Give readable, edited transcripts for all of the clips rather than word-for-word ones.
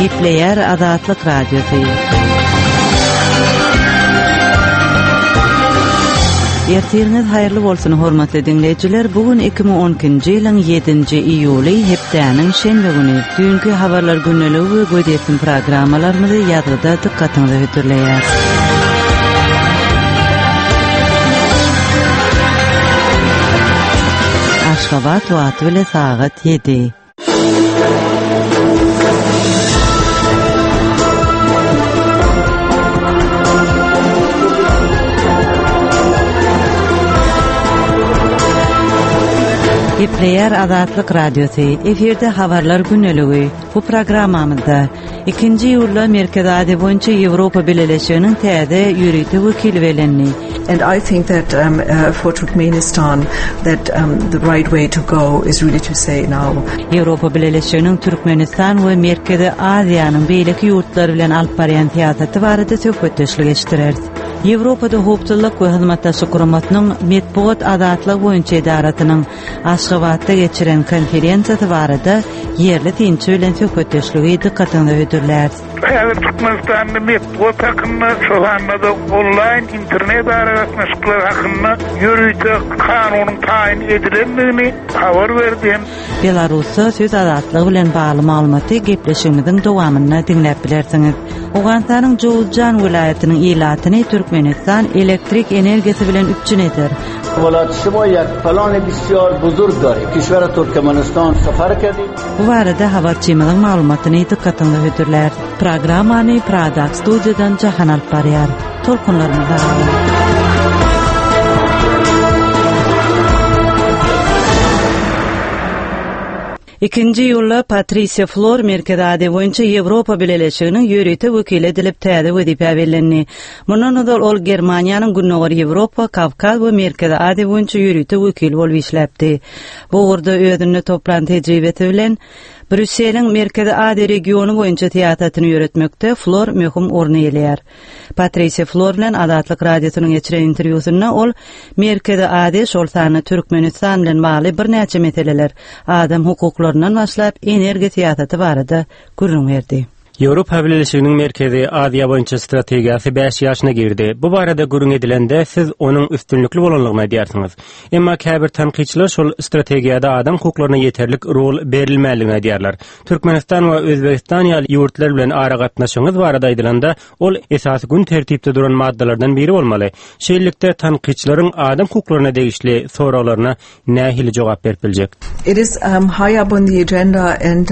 Gepleýär Azatlyk Radiosy. Ertiriňiz haýyrly bolsun, hormatly diňleýjiler! Bu gün 2012-nji ýylyň 7-nji iýuly, hepdäniň şenbe güni. Düýnki habarlar gündeligi we gözýetim programmalarymyzy ýazgyda dykgatyňyza hödürleýäris. Aşgabat wagty bile sagat ýedi. Gepleýär Azatlyk Radiosy, efirde habarlar güneligi. Bu programmamyzda ikinji iýulda Merkezi Aziýa boýunça Ýewropa Bileleşiginiň täze ýörite wekili bellendi. And I think that um, uh, for Turkmenistan that um, the right way to go is really to say now. Ýewropa Bileleşiginiň Türkmenistan we Merkezi Aziýanyň beýleki ýurtlary bilen alyp barýan syýasaty barada söhbetdeşlik eşitdireris. Ýewropada Howpsuzlyk we Hyzmatdaşlyk Guramasynyň Metbugat azatlygy boýunça edarasynyň Aşgabatda geçiren konferensiýasy barada ýerli synçy bilen söhbetdeşligi dykgatyňyza hödürläris. Häzir Türkmenistanda metbugat hakynda, şol sanda-da onlaýn internet aragatnaşyklary hakynda ýörite kanunyň taýyn edilendigini habar berdi hem. Belarusda söz azatlygy bilen bagly maglumaty gepleşigimiziň dowamynda diňläp bilersiňiz. Owganystanyň Jowuzjan welaýatynyň ilatyny Türkmenistan elektrik energiýasy bilen üpjün eder. Bu barada habarçymyzyň maglumatyny dykgatyňyza hödürläris. Programmany Pradaky studiýadan Jahan alyp barýar. Tolkunlarymyzda galyň. Ikinji iýulda Patrisiýa Flor Merkezi Aziýa boýunça Ýewropa Bileleşiginiň ýörite wekili edilip täze wezipä bellendi. Mundan ozal ol Germaniýanyň Gündogar Ýewropa, Kawkaz we Merkezi Aziýa boýunça ýörite wekili bolup işläpdi. Bu ugurda özünde toplan tejribesi bilen Brýusseliň Merkezi Aziýa regiony boýunça syýasatyny ýöretmekde Flor möhüm orun eýeleýär. Patrisiýa Flor bilen Azatlyk Radiosynyň geçiren interwýusynda ol Merkezi Aziýa, şol sanda Türkmenistan bilen bagly birnäçe meseleler, adam hukuklaryndan başlap, energiýa syýasaty barada gürrüň berdi. Ýewropa Bileleşiginiň Merkezi Aziýa boýunça strategiýasy bäş ýaşyna girdi. Bu barada gürrüň edilende, siz onuň üstünlikli bolanlygyny aýdýarsyňyz. Emma käbir tankytçylar şol strategiýada adam hukuklaryna ýeterlik rol berilmänligini aýdýarlar. Türkmenistan we Özbegistan ýaly ýurtlar bilen aragatnaşygyňyz barada aýdylanda, ol esasy gün tertipde duran maddalardan biri bolmaly. Şeýlelikde, tankytçylaryň adam hukuklaryna degişli soraglaryna nähili jogap berip biljek? It is high up on the agenda and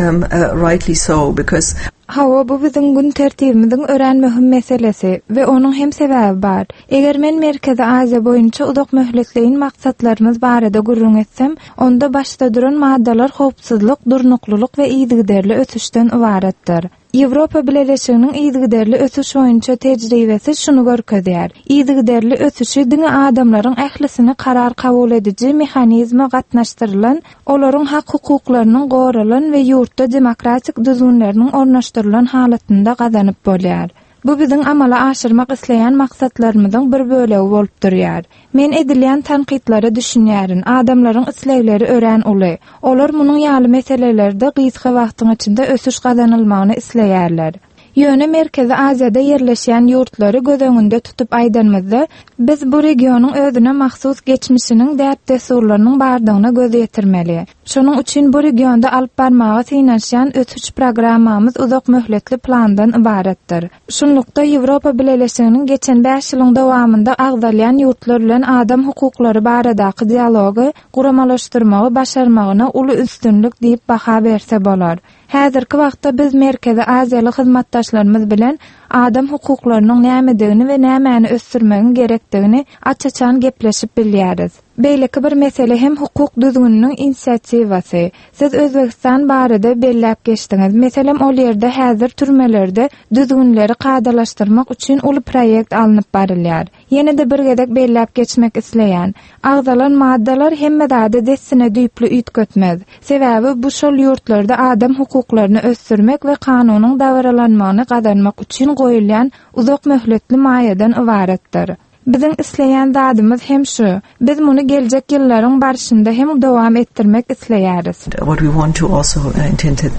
rightly so because. Hawa, bu biziň gün tertibimiziň örän möhüm meselesi we onuň hem sebäbi bar. Eger men Merkezi Aziýa boýunça uzakmöhletleýin maksatlarymyz barada gürrüň etsem, onda başda duran maddalar howpsuzlyk, durnuklylyk we yzygiderli ösüşden ybaratdyr. Ýewropa Bileleşiginiň yzygiderli ösüş boýunça tejribesi şuny görkezýär, yzygiderli ösüşi diňe adamlaryň ählisini karar kabul ediji mehanizme gatnaşdyrylan, olaryň hak-hukuklarynyň goralan we ýurtda demokratik düzgünleriniň ornaşdyrylan halatynda gazanyp bolýar. Bu biziň amala aşyrmak isleýän maksatlarymyzyň bir bölegi bolup durýar. Men edilýän tankytlara düşünýärin, adamlaryň islegleri örän uly. Olar munuň ýaly meselelerde gysga wagtyň içinde ösüş gazanylmagyny isleýärler. Ýöne Merkezi Aziýada ýerleşýän ýurtlary göz öňünde tutup aýdanymyzda, biz bu regionyň özüne mahsus geçmişiniň, däp-dessurlarynyň bardygyna göz ýetirmeli. Şonuň üçin bu regionda alyp barmaga synanyşýan ösüş programmamyz uzak möhletli plandan ybaratdyr. Şunlukda, Ýewropa Bileleşiginiň geçen bäş ýylyň dowamynda agzalýan ýurtlar bilen adam hukuklary baradaky dialogy guramalaşdyrmagy başarmagyna uly üstünlik diýip baha berse bolar. Häzirki wagtda biz Merkezi Aziýaly hyzmatdaşlarymyz bilen adam hukuklarynyň nämedigini we nämäni ösdürmegiň gerekdigini aç-açan gepleşip bilýäris. Beýleki bir mesele hem hukuk düzgüniniň inisiatiwasy. Siz Özbegistan barada belläp geçdiňiz. Meselem, ol ýerde häzir türmelerde düzgünleri kadalaşdyrmak üçin uly proýekt alnyp barylýar. Ýene-de bir gezek belläp geçmek isleýän. Agzalan maddalar hemme zady dessine düýpli üýtgetmez. Sebäbi bu şol ýurtlarda adam hukuklaryny ösdürmek we kanunyň dabaralanmagyny gazanmak üçin goýulýan uzak möhletli maýadan ybaratdyr. Biziň isleýän zadymyz hem şu. Biz muny geljek ýyllaryň barşynda hem dowam etdirmek isleýäris. What we want to also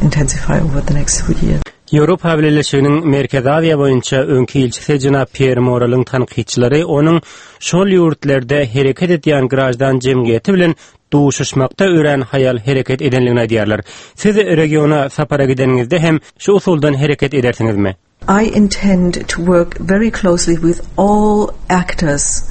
intensify over the next few years. Ýewropa Bileleşiginiň Merkezi Aziýa boýunça öňki ilçisi jenap Pýer Moreliň tankytçylary onuň şol ýurtlarda hereket edýän graždan jemgyýeti bilen duşuşmakda örän haýal hereket edenligini aýdýarlar. Siz regiona sapara gideniňizde hem şu usuldan hereket edersiňizmi? I intend to work very closely with all actors.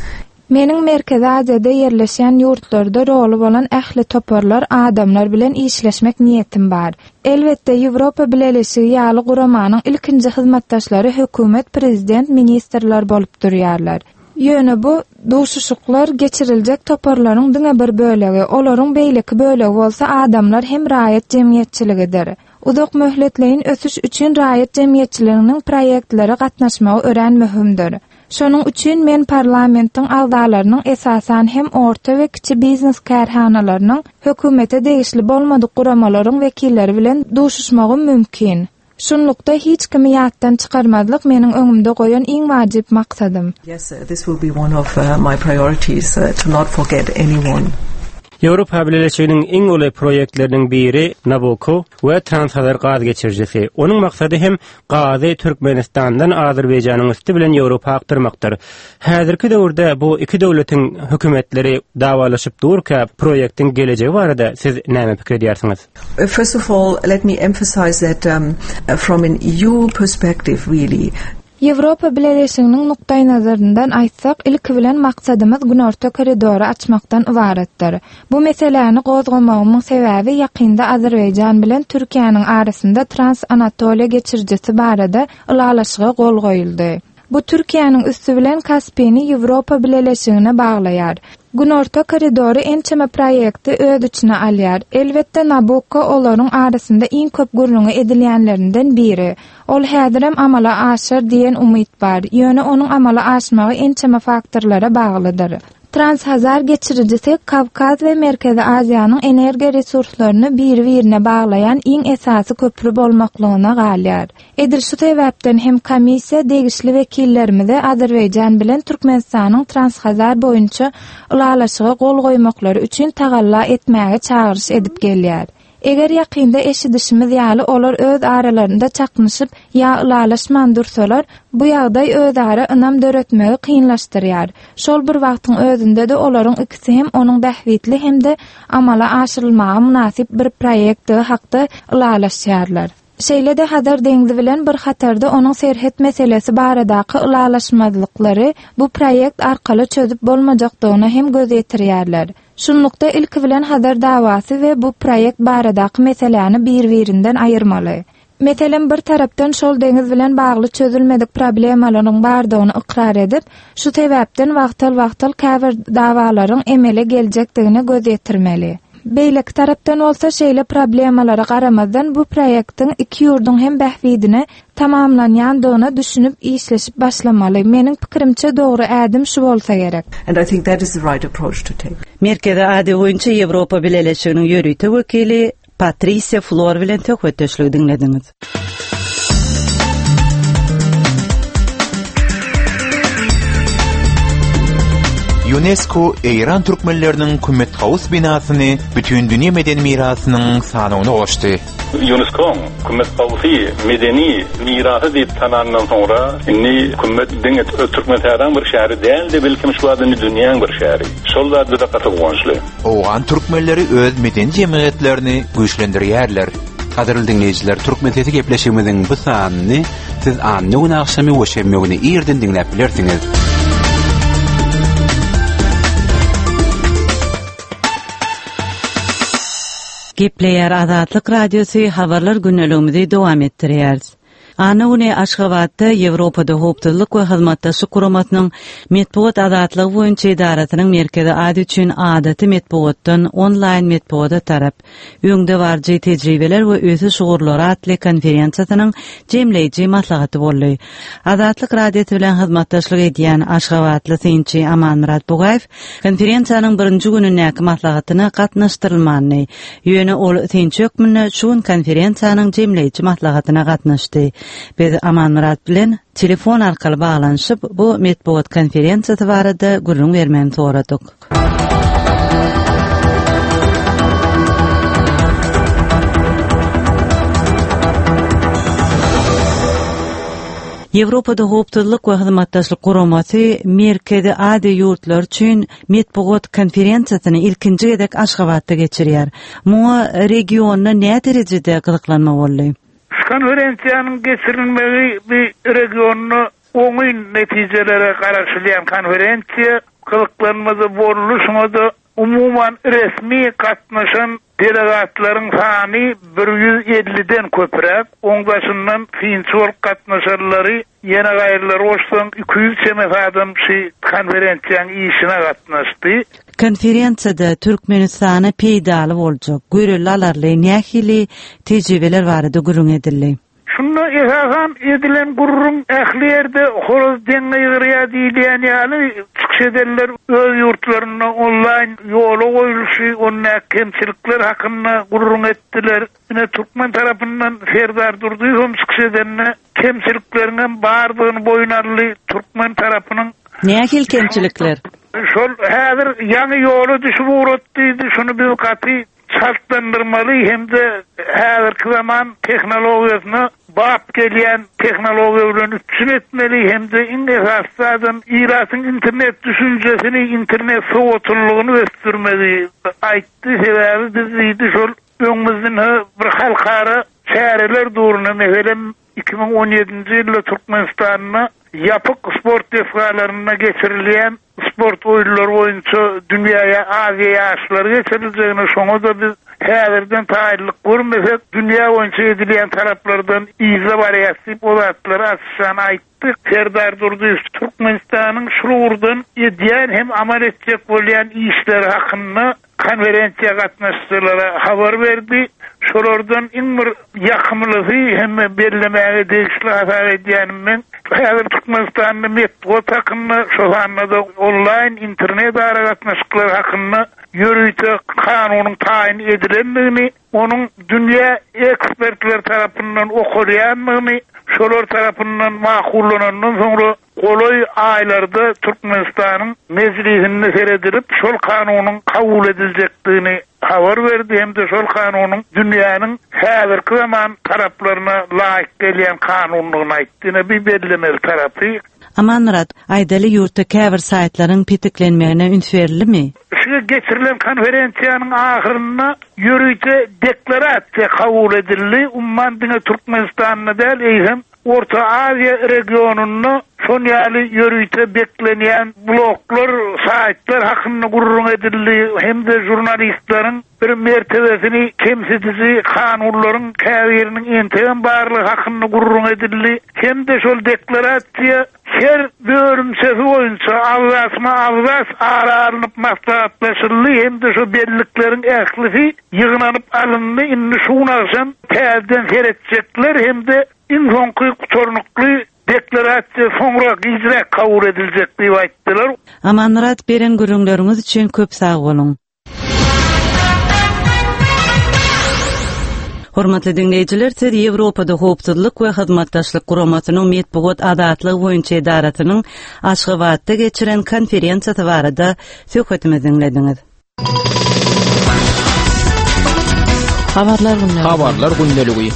Meniň Merkezi Aziýada ýerleşýän ýurtlarda roly bolan ähli toparlar, adamlar bilen işleşmek niýetim bar. Elbetde, Ýewropa Bileleşigi ýaly guramanyň ilkinji hyzmatdaşlary hökümet, prezident, ministrler bolup durýarlar. Ýöne bu duşuşyklar geçiriljek toparlaryň diňe bir bölegi, olaryň beýleki bölegi bolsa adamlar hem raýat jemgyýetçiligidir. Uzak möhletleýin ösüş üçin raýat jemgyýetçiliginiň proýektlere gatnaşmagy örän möhümdir. Şonuň üçin men parlamentiň agzalarynyň esasan hem orta we kiçi biznes kärhanalarynyň, hökümete degişli bolmadyk guramalaryň wekilleri bilen duşuşmagym mümkin. Şunlukda hiç kimi ýatdan çykarmazlyk meniň öňümde goýan iň wajyp maksadym. Yes, this will be one of my priorities, to not forget anyone. Ýewropa Bileleşiginiň iň uly proýektleriniň biri Nabucco we Transhazar gaz geçirijisi. Onuň maksady hem gazy Türkmenistandan Azerbaýjanyň üsti bilen Ýewropa akdyrmakdyr. Häzirki döwürde bu iki döwletiň hökümetleri dawalaşyp durka, proýektiň gelejegi barada siz näme pikir edýärsiňiz? First of all, let me emphasize that from an EU perspective really, Ýewropa Bileleşiginiň nukdaýnazaryndan aýtsak, ilki bilen maksadymyz Günorta koridory açmakdan ybaratdyr. Bu meseläni gozgamagymyň sebäbi ýakynda Azerbaýjan bilen Türkiýäniň arasynda Trans-Anatoliýa geçirijisi barada ylalaşyga gol goýuldy. Bu Türkiýäniň üsti bilen Kaspini Ýewropa Bileleşigine baglaýar. Günorta koridory ençeme proýekti öz içine alýar. Elbetde, Nabukko olaryň arasynda iň köp gürrüňi edilýänlerinden biri. Ol häzirem amala aşar diýen umyt bar, ýöne onuň amala aşmagy ençeme faktorlara baglydyr. Transhazar geçirijisi Kawkaz we Merkezi Aziýanyň energiýa resurslaryny biri-birine baglaýan iň esasy köpri bolmaklygyna galýar. Edil şu sebäpden hem komissiýa degişli wekillerimize Azerbaýjan bilen Türkmenistanyň Transhazar boýunça ylalaşyga gol goýmaklary üçin tagalla etmäge çagyryş edip gelýär. Eger ýakynda eşidişimiz ýaly olar öz aralarynda çaknyşyp ýa ylalaşman dursalar, bu ýagdaý özara ynam döretmegi kynlaşdyrýar. Şol bir wagtyň özünde-de olaryň ikisi hem onuň bähbitli hem-de amala aşyrylmaga mynasyp bir proýektdigi hakda ylalaşýarlar. Şeýle-de Hazar deňzi bilen bir hatarda onuň serhet meselesi baradaky ylalaşmazlyklary bu proýekt arkaly çözüp bolmajakdygyna hem göz ýetirýärler. Şunlukda, ilki bilen Hazar dawasy we bu proýekt baradaky meseläni bir-birinden aýyrmaly. Meselem, bir tarapdan şol deňiz bilen bagly çözülmedik problemalaryň bardygyny ykrar edip, şu sebäpden wagtal-wagtal käbir dawalaryň emele geljekdigine göz ýetirmeli. Beýleki tarapdan bolsa, şeýle problemalara garamazdan bu proýektiň iki ýurduň hem bähbidine tamamlanýandygyna düşünip işleşip başlamaly. Meniň pikirimçe dogry ädim şu bolsa gerek. And I think that is the right approach to take. Merkezi Aziýa boýunça Ýewropa Bileleşiginiň ýörite wekili Patrisiýa Flor bilen söhbetdeşligi diňlediňiz. Ýunesko Eýran türkmenleriniň Kümmet-Kawus binasyny Bütindünýä medeni mirasynyň sanawyna goşdy. Ýunesko-nyň Kümmet-Kawusy medeni mirasy diýip tananyndan soňra, indi Kümmet diňe Türkmensähraň bir şäheri däl-de, belkem şu wagt indi dünýäň bir şäheri. Şol zat bize gaty guwançly. Owgan türkmenleri öz medeni jemgyýetlerini güýçlendirýärler. Gadyrly diňleýjiler, Türkmen sesi gepleşigimiziň bu sanyny siz anna güni agşamy we şenbe güni irden diňläp bilersiňiz. Gepleýär Azatlyk Radiosy habarlar gündeligimizi dowam etdirýäris. Anna güni Aşgabatda Ýewropada Howpsuzlyk we Hyzmatdaşlyk Guramasynyň Metbugat azatlygy boýunça edarasynyň Merkezi Aziýa üçin adaty metbugatdan onlaýn metbugata tarap, öňdebaryjy tejribeler we ösüş ugurlary atly konferensiýasynyň jemleýji maslahaty boldy. Azatlyk Radiosy bilen hyzmatdaşlyk edýän aşgabatly synçy Amanmyrat Bugaýew Konferensiýanyň birinji günündäki maslahatyna gatnaşdyrylmandy. Ýöne ol synçy hökmünde şu gün konferensiýanyň jemleýji maslahatyna gatnaşdy. Biz Amanmyrat bilen telefon arkaly baglanyşyp, bu metbugat konferensiýasy barada gürrüň bermegini soradyk. Ýewropada Howpsuzlyk we Hyzmatdaşlyk Guramasy Merkezi Aziýa ýurtlary üçin metbugat konferensiýasyny ilkinji gezek Aşgabatda geçirýär. Muňa regionda näderejede gyzyklanma boldy? Şu konferensiýanyň geçirilmegi bu regionda oňyn netijelere garaşylýan konferensiýa, gyzyklanma-da boldy, şuňa-da Umuman, resmi gatnaşan delegatlaryň sany 150-den köpräk, oň daşyndan synçy bolup gatnaşanlary, ýene gaýrylary goşsaň, 200 çemesi adam şy konferensiýaň işine gatnaşdy. Konferensiýada Türkmenistana peýdaly boljak, görelde alarly nähili tejribeler barada gürrüň edildi? Şunda esasan edilen gürrüň ähli ýerde horaz deň gygyrýar diýilýän ýaly, çykyş edenler öz ýurtlarynda onlaýn ýola goýulyşy, ondaky kemçilikler hakynda gürrüň etdiler. Ine, türkmen tarapyndan Serdar Durdyýewem çykyş edende kemçilikleriňem bardygyny boýun aldy, türkmen tarapynyň Nähili kemçilikler? Şol häzir ýaňy ýola düşüp ugratdy diýdi, şuny biz gaty çaltlandyrmaly hem-de häzirki zaman tehnologiýasyna bap gelýän tehnologiýa bilen üpjün etmeli hem-de iň esasy zadam ilatyň internet düşünjesini, internet sowatlylygyny ösdürmegi aýtdy. Sebäbi biz diýdi şol öňümizden bir halkara çäreler duruna meselem 2017-nji ýylda Türkmenistanda ýapyk sport desgalarynda geçirilýän sport oýunlary boýunça dünýä ýa Aziýa ýaşlary geçiriljegine, şoňa-da biz häzirden taýynlyk görmesek, dünýä boýunça edilýän talaplardan yzda barýas diýip, o zatlary açyşan aýtdy. Serdar Durdyýew Türkmenistanyň şul ugurdan edýän hem amal etjek bolýan işleri hakynda konferensiýa gatnaşyjylara habar berdi. Şolardan iň bir ýakymlysy hem bellemäge degişli hasap edýänim men, häzir Türkmenistanda metbugat hakynda, şol sanda-da onlaýn internet aragatnaşyklary hakynda ýörite kanunyň taýyn edilendigini, onuň dünýä ekspertleri tarapyndan okalýandygyny, şolar tarapyndan makullanandan soňra Golaý aýlarda Türkmenistanyň Mejlisinde seredilip, şol kanunyň kabul ediljekdigini habar berdi hem-de şol kanunyň dünýäniň häzirki zaman talaplaryna laýyk gelýän kanundygyny aýtdy. Ine, bu bellemeli tarapy. Amanmyrat, aýdaly ýurtda käbir saýtlaryň petiklenmegine üns berildimi? Şu geçirilen konferensiýanyň ahyrynda ýörite deklarasiýa kabul edildi. Umuman, diňe Türkmenistanda däl, eýsem, Orta Aziýa regionynda şon ýaly ýörite beklenýän bloglar, saýtlar hakynda gürrüň edildi hem-de žurnalistleriň bir mertebesini kemsidiji kanunlaryň käbiriniň entegem barlygy hakynda gürrüň edildi hem-de şol deklarasiýa her bölümçesi boýunça abzasma-abzas ara alnyp maslahatlaşyldy hem-de şo bellikleriň ählisi ýygnanyp alyndy, indi şu gün agşam täzeden seretjekler hem-de iň soňky gutarnykly deklarasiýa soňra, gijräk kabul ediljek diýip aýtdylar. Amanmyrat, beren gürrüňleriňiz üçin köp sag boluň! Hormatly diňleýjiler, siz Ýewropada Howpsuzlyk we Hyzmatdaşlyk Guramasynyň Metbugat azatlygy boýunça edarasynyň Aşgabatda geçiren konferensiýasy barada söhbetimizi diňlediňiz. Habarlar gündeligi. Habarlar gündeligi.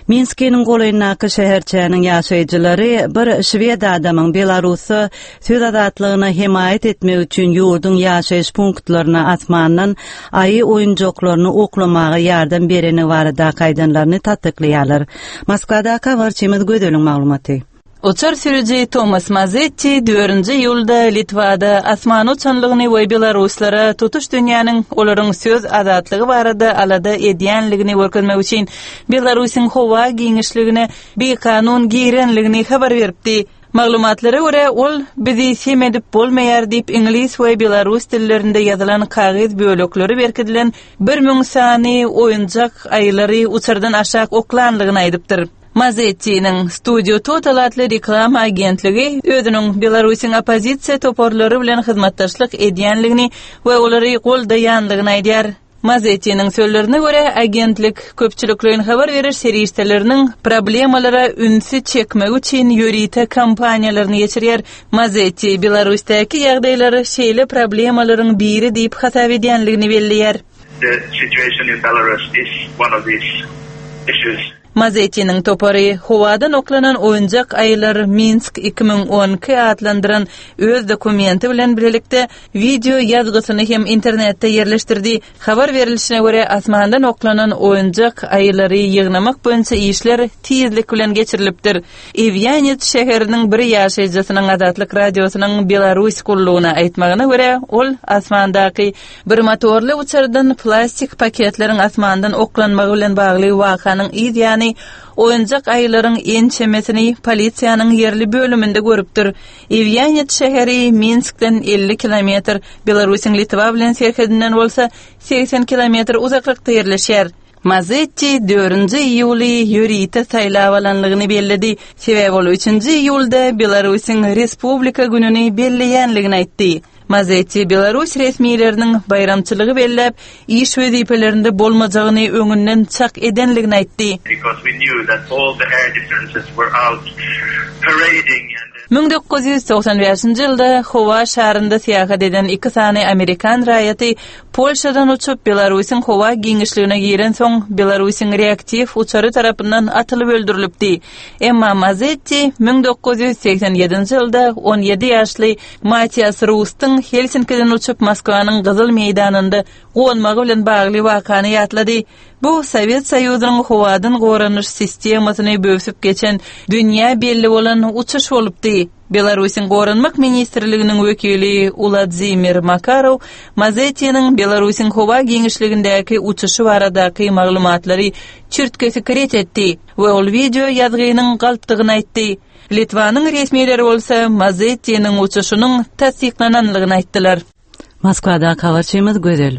Minskiniň golaýyndaky şäherçäniň ýaşaýjylary bir şwed adamyň Belarusda söz azatlygyna hemaýat etmek üçin ýurduň ýaşaýyş punktlaryna asmandan aýy oýunjaklaryny oklamaga ýardam bereni baradaky aýdanlaryny tassyklaýarlar. Moskwadaky habarçymyz Gözeliň maglumaty. Uçar sürüji Tomas Mazetti dördünji iýulda Litwada asmana uçanlygyny we belaruslara tutuş dünýäniň olaryň söz azatlygy barada alada edýänligini görkezmek üçin Belarusyň howa giňişligine bikanun girenligini habar beripdi. Maglumatlara görä, ol Bizi sem edip bolmaýar diýip iňlis we belarus dillerinde ýazylan kagyz bölekleri berkidilen 1000 sany oýunjak aýylary uçardan aşak oklanlygyny aýdypdyr. Mazettiniň Studio Total atly reklama agentligi özüniň Belarusyň oppozisiýa toparlary bilen hyzmatdaşlyk edýänligini we olary goldaýanlygyny aýdýar. Mazettiniň sözlerine görä, agentlik köpçülikleýin habar beriş serişdeleriniň problemalara ünsi çekmegi üçin ýörite kampaniýalaryny geçirýär. Mazetti Belarusdaky ýagdaýlary şeýle problemalaryň biri diýip hasap edýänligini belleýär. The situation in Belarus is one of these issues. Mazettiniň topary howadan oklanan oýunjak aýylar Minsk 2012 atlandyran öz dokumenti bilen bilelikde wideo ýazgysyny hem internetde ýerleşdirdi. Habar berilişine görä, asmandan oklanan oýunjak aýylary ýygnamak boýunça işler tizlik bilen geçirilipdir. Iwýanec şäheriniň bir ýaşaýjysynyň Azatlyk Radiosynyň Belarus gullugyna aýtmagyna görä, ol asmandaky bir motorly uçardan plastik paketleriň asmandan oklanmagy bilen bagly wakanyň yz ýany oýunjak aýylaryň ençemesini polisiýanyň ýerli bölüminde görüpdir. Iwýanec şäheri Minskden 50 kilometr, Belarusyň Litwa bilen serhedinden bolsa 80 kilometr uzaklykda ýerleşýär. Mazetti dördünji iýuly ýörite saýlap alanlygyny belledi, sebäbi ol üçünji iýulda Belarusyň Respublika gününi belleýänligini aýtdy. Mazetti belarus resmileriniň baýramçylygy belläp, iş wezipelerinde bolmajagyny öňünden çak edenligini aýtdy. 1995-nji ýylda howa şarynda syýahat eden iki sany amerikan raýaty Polşadan uçup, Belarusyň howa giňişligine girensoň, Belarusyň reaktiw uçary tarapyndan atylyp öldürilipdi. Emma Mazetti 1987-nji ýylda 17 ýaşly Matias Rustyň Helsinkiden uçup Moskwanyň Gyzyl meýdanynda gonmagy bilen bagly wakany ýatlady. Bu Sowet Soýuzynyň howadan goranyş sistemasyny böwsüp geçen dünýä belli bolan uçuş bolupdy. Belarusyň Goranmak ministrliginiň wekili Uladzimir Makarow Mazettiniň Belarusyň howa giňişligindäki uçuşy baradaky maglumatlary çürt-kesik ret etdi we ol wideo ýazgynyň galpdygyny aýtdy. Litwanyň resmileri bolsa Mazettiniň uçuşynyň tassyklananlygyny aýtdylar. Moskwadaky habarçymyz Gözel.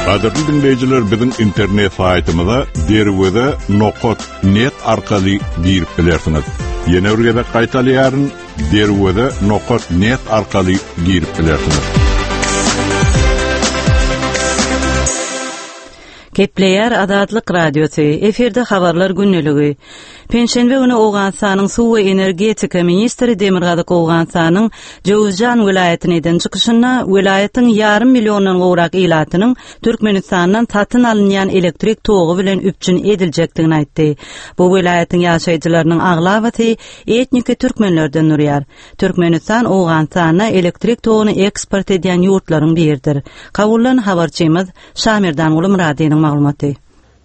Gadyrly diňleýjiler biziň internet saýtymyza derweze nokat net arkaly girip bilersiňiz. Ýene bir gezek gaýtalaýaryn, derweze nokat net arkaly girip bilersiňiz. Gepleýär Azatlyk Radiosy, efirde Habarlar gündeligi. Penşenbe güni Owganystanyň suw we energetika ministri Demirgazyk Owganystanyň Jöwüzjan welaýatyna eden çykyşynda welaýatyň ýarym milliondan gowrak ilatynyň Türkmenistandan satyn alynýan elektrik togy bilen üpjün ediljekdigini aýtdy. Bu welaýatyň ýaşaýjylarynyň aglabasy etniki türkmenlerden durýar. Türkmenistan Owganystana elektrik toguny eksport edýän ýurtlaryň biridir. Kabuldan habarçymyz Şamerdanguly Myradynyň maglumaty.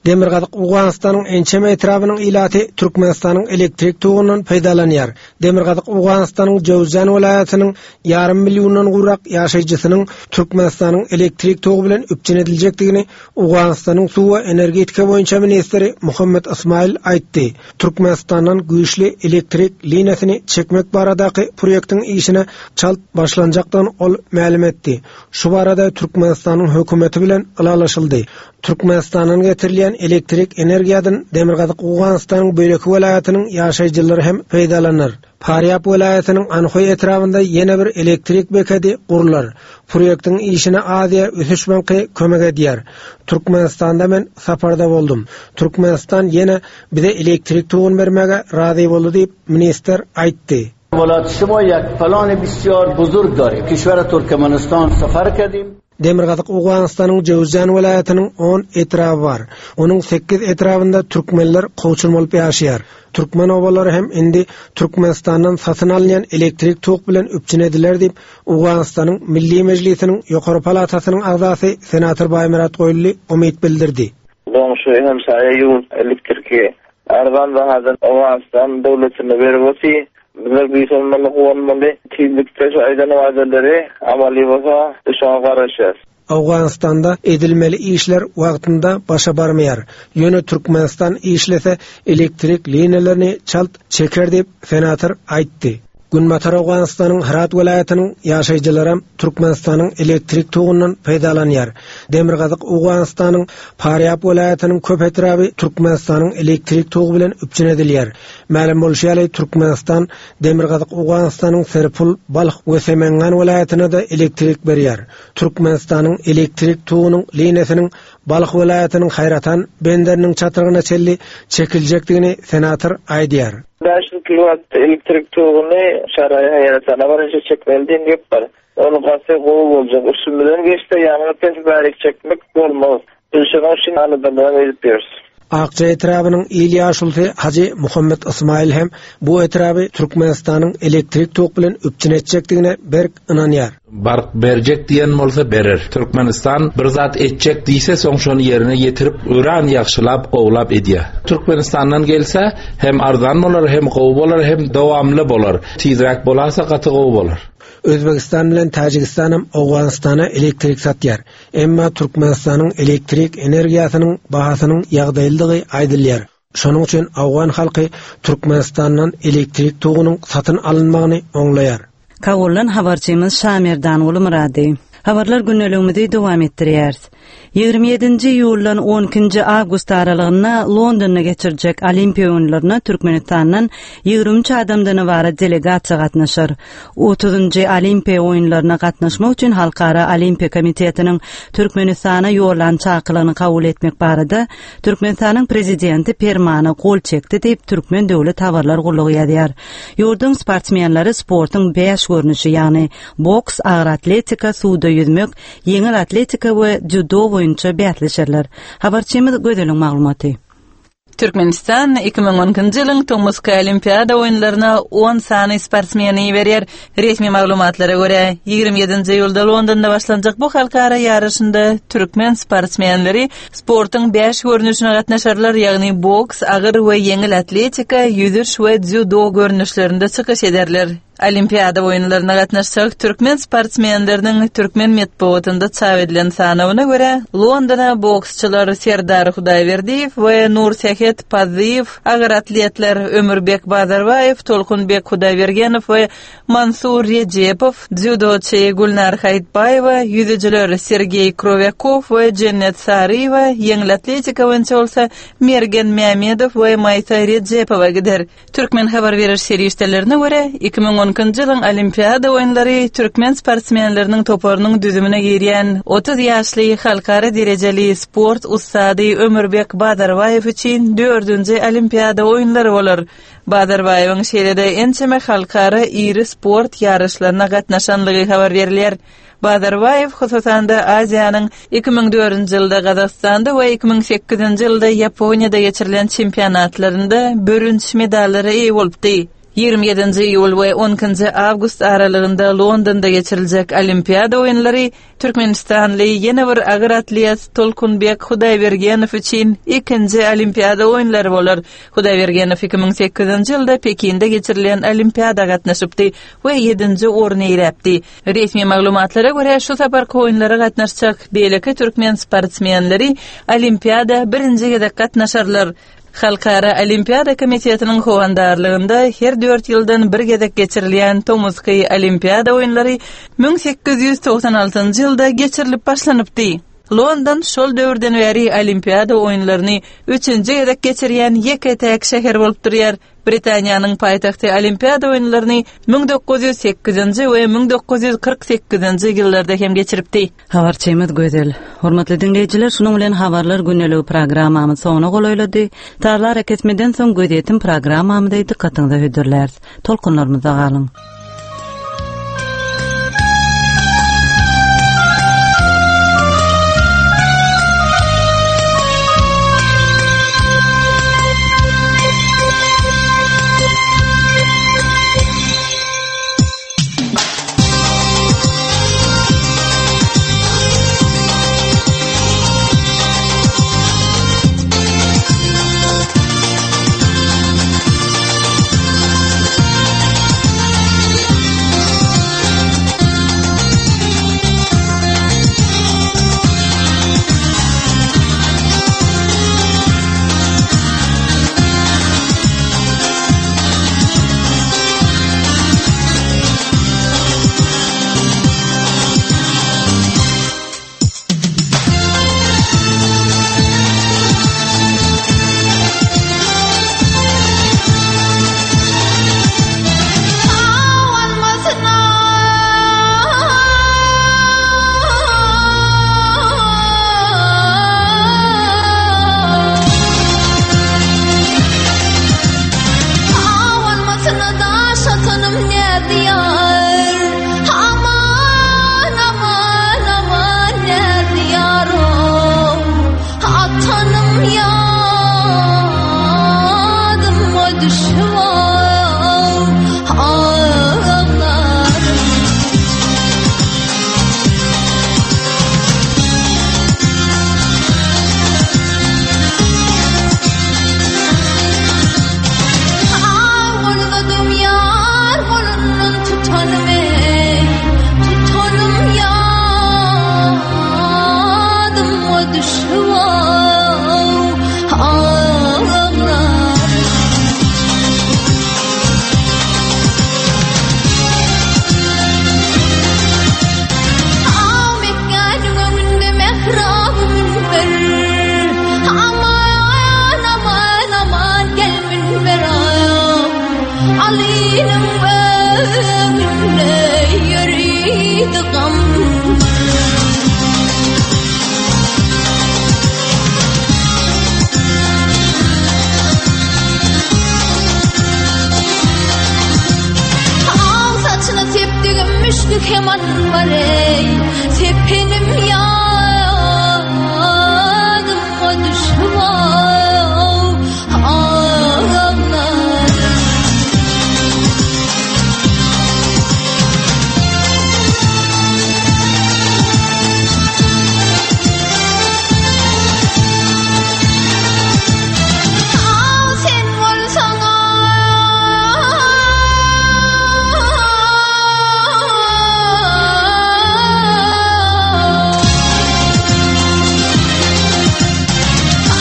Demirgazyk Owganystanyň ençeme etrabynyň ilaty Türkmenistanyň elektrik togundan peýdalanýar. Demirgazyk Owganystanyň Jöwzjan welaýatynyň ýarym milliondan gowrak ýaşaýjysynyň Türkmenistanyň elektrik togy bilen üpjün ediljekdigini Owganystanyň suw we energetika boýunça ministri Muhammet Ysmaýyl aýtdy. Türkmenistandan güýçli elektrik liniýasyny çekmek baradaky proýektiň işine çalt başlanjakdygyny ol mälim etdi. Şu barada Türkmenistanyň hökümeti bilen ylalaşyldy. Türkmenistandan getirilýän elektrik energiýadan Demirgazyk Owganystanyň beýleki welaýatynyň ýaşaýjylary hem peýdalanar. Farýap welaýatynyň Anhoý etrabynda ýene bir elektrik bekedi gurlar. Proýektiň işine Aziýa ösüş banky kömek edýär. Türkmenistanda men saparda boldum. Türkmenistan ýene bize elektrik toguny bermäge razy boldy diýip, ministr aýtdy. Demirgazyk Owganystanyň Jöwüzjan welaýatynyň on etraby bar. Onuň sekiz etrabynda türkmenler kowçum bolup ýaşaýar. Türkmen obalary hem indi Türkmenistandan satyn alynýan elektrik tok bilen üpjün ediler diýip, Owganystanyň Milli Mejlisiniň ýokary palatasynyň agzasy senator Baýmyrat Goýully umyt bildirdi. Goňşy hemsaýa ýurt elektriki Arzan bahadan Owganystan döwletine berip oty. Bizler buýsanmaly, guwanmaly. Tizlikde şu aýdan wadalary amaly bolsa biz şoňa garaşýas. Owganystanda edilmeli işler wagtynda başa barmaýar. Ýöne Türkmenistan işlese elektrik liniýalaryny çalt çeker diýip, senator aýtdy. Günbatar Owganystanyň Hyrat welaýatynyň ýaşaýjylaram Türkmenistanyň elektrik togundan peýdalanýar. Demirgazyk Owganystanyň Farýab welaýatynyň köp etraby Türkmenistanyň elektrik togy bilen üpjün edilýär. Mälim bolşy ýaly, Türkmenistan Demirgazyk Owganystanyň Serpul, Balh we Semengan welaýatyna-da elektrik berýär. Türkmenistanyň elektrik togunyň liniýasynyň Balh welaýatynyň Haýratan benderiniň çatrygyna çenli çekiljekdigini senator aýdýar. 500 kilowat elektrik toguny Şaraýa Haýratana barynça çekmeli diýen gep bar. Ol gaty gowy boljak. Üstümizden geçse ýaňy pes bärik çekmek bolmaz. Biz şonuň üçin aladalaram edip ýörüs. Akja etrabynyň il ýaşulusy Hajy Muhammet Ysmaýyl hem bu etraby Türkmenistanyň elektrik tok bilen üpjün etjekdigine berk ynanýar. Bark berjek diýen bolsa berer. Türkmenistan bir zat etjek diýse soň şony ýerine ýetirip öran ýagşylap gowlap edýär. Türkmenistandan gelse hem arzan bolar hem gowy bolar hem dowamly bolar. Tizräk bolasa gaty gowy bolar. Özbegistan bilen Täjigistanam Owganystana elektrik satýar. Emma Türkmenistanyň elektrik energiýasynyň bahasynyň ýagdaýlydygy aýdylýar. Şonuň üçin owgan halky Türkmenistandan elektrik togunyň satyn alynmagyny oňlaýar. Kabuldan habarçymyz Şamerdanguly Myrady. Habarlar gündeligimizi dowam etdirýäris. 27-nji iýuldan 12-nji awgust aralygynda Londonda geçiriljek Olimpiýa oýunlaryna Türkmenistandan 23 adamdan ybarat delegasiýa gatnaşar. Otuzynjy Olimpiýa oýunlaryna gatnaşmak üçin Halkara Olimpiýa komitetiniň Türkmenistana ýollan çakylygyny kabul etmek barada Türkmenistanyň Prezidenti Permana gol çekdi diýip, Türkmen döwlet habarlar gullugy ýazýar. Ýurduň sportsmenleri sportuň bäş görnüşi, ýagny boks, agyr atletika, suwda ýüzmek, ýeňil atletika we dzýudo boýunça bäsleşerler. Habarçymyz Gözeliň maglumaty. Türkmenistan 2012-nji ýylyň tomusky Olimpiada oýunlaryna on sany sportsmeni iberýär. Resmi maglumatlara görä, 27-nji iýulda Londonda başlanjak bu halkara ýaryşynda türkmen sportsmenleri sportuň bäş görnüşine gatnaşarlar, ýagny boks, agyr we ýeňil atletika, ýüzüş we dzýudo görnüşlerinde çykyş ederler. Olimpiada oýunlaryna gatnaşjak türkmen sportsmenleriniň türkmen metbugatynda çap edilen sanawyna görä, Londona boksçular Serdar Hudaýberdiýew we Nursähet Pazzyýew, agyr atletler Ömürbek Bazarbaýew, Tolkunbek Hudaýbergenow we Mansur Rejepow, dzýudoçy Gülnar Haýytbaýewa, ýüzüjiler Sergeý Krowýakow we Jennet Saryýewa, ýeňil atletika boýunça bolsa Mergen Mämedow we Maýsa Rejepowa gider. Türkmen habar beriş serişdelerine görä, 2012-nji ýylyň Olimpiada oýunlary türkmen sportsmenleriniň toparynyň düzümine girýän 30 ýaşly halkara derejeli sport ussady Ömürbek Bazarbaýew üçin dördünji Olimpiada oýunlary bolar. Bazarbaýewiň şeýle-de ençeme halkara iri sport ýaryşlaryna gatnaşanlygy habar berilýär. Bazarbaýew, hususan-da, Aziýanyň 2004-nji ýylda Gazagystanda we 2008-nji ýylda Ýaponiýada geçirilen çempionatlarynda bürünç medallara eýe bolupdy. 27-nji iýul we 12-nji awgust aralygynda Londonda geçiriljek Olimpiada oýunlary türkmenistanly ýene bir agyr atlet Tolkunbek Hudaýbergenow üçin ikinji Olimpiada oýunlary bolar. Hudaýbergenow 2008-nji ýylda Pekinde geçirilen Olimpiada gatnaşypdy we ýedinji orny eýeläpdi. Resmi maglumatlara görä, şu saparky oýunlara gatnaşjak beýleki türkmen sportsmenleri Olimpiada birinji gezek gatnaşarlar. Halkara Olimpiada komitetiniň howandarlygynda her dört ýyldan bir gezek geçirilýän tomusky Olimpiada oýunlary 1896-njy ýylda geçirilip başlanypdy. London şol döwürden bäri Olimpiada oýunlaryny üçünji gezek geçirýän ýeke-täk şäher bolup durýar. Britaniýanyň paýtagty Olimpiada oýunlaryny 1908-nji we 1948-nji ýyllarda hem geçiripdi. Habarçymyz Gözel. Hormatly diňleýjiler, şunuň bilen Habarlar gündeligi programmamyz soňuna golaýlady. Sazly arakesmeden soň gözýetim programmamyzy dykgatyňyza hödürläris. Tolkunlarymyzda galyň. düşüp ağlar. Aw Mekgäniň öňünde mähraby münber. Aman, aman, aman gel münber Alynyň öňünde ýöridi gam. Aw saçyna sepdigim müşki keman bar ey. Sepenim ýadyma düşüp ağlar. Aw sen bolsaň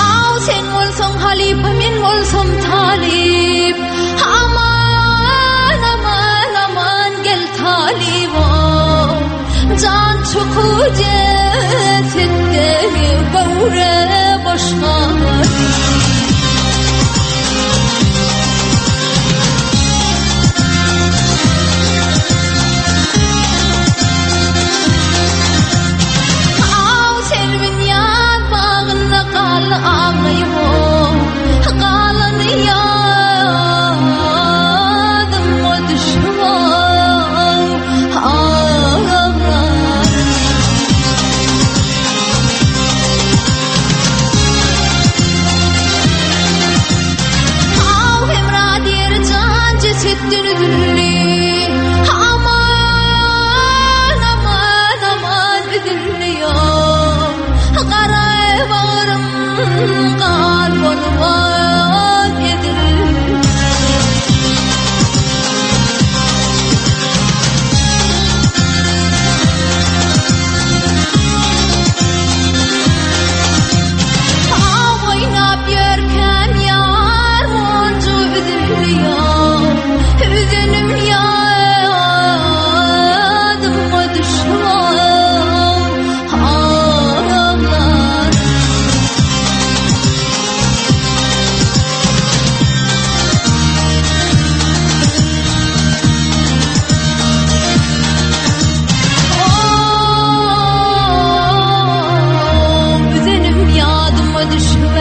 Aw sen bolsaň halypa men bolsam talyp. Aman aman aman gel talybam. Jan çykyp jesetde göwre boş galyp. Aw selvin ýaz bagynda galdy aglaýym. Galany ýadyma düşüp aglar. Aw Hemra diýer jan jesetden üzüldi. Aman aman aman üzüldi ýok. Gara bagrym gan bolup ezildi. Aw oýnap ýörkäm ýar monjugy üzüldi ýok. Üzenim ýadyma düşüp aglar. Oh, üzenim ýadyma düşüp